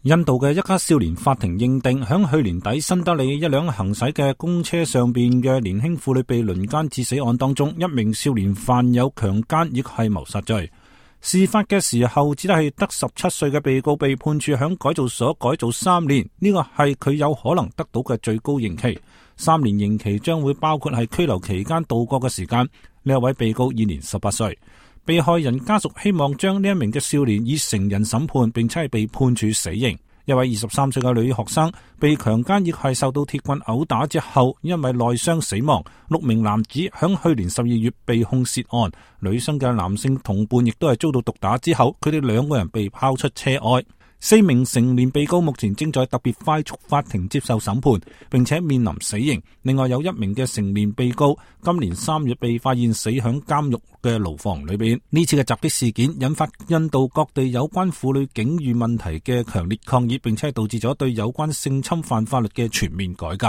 印度嘅一家少年法庭認定，響去年底新德里一輛行駛嘅公車上邊嘅年輕婦女被輪姦致死案當中，一名少年犯有強姦亦係謀殺罪。事發嘅時候，只係得17歲嘅被告被判處響改造所改造3年，呢個係佢有可能得到嘅最高刑期。3年刑期將會包括係拘留期間度過嘅時間。呢一位被告現年18歲。被害人家屬希望將呢一名嘅少年以成人審判，並且係被判處死刑。一位23歲嘅女學生被強姦亦係受到鐵棍毆打之後，因為內傷死亡。6名男子響去年12月被控涉案，女生嘅男性同伴亦都係遭到毒打之後，佢哋2個人被拋出車外。4名成年被告目前正在特別快速法庭接受審判，並且面臨死刑。另外有1名嘅成年被告今年3月被發現死響監獄嘅牢房裏邊。呢次嘅襲擊事件引發印度各地有關婦女境遇問題嘅強烈抗議，並且導致咗對有關性侵犯法律嘅全面改革。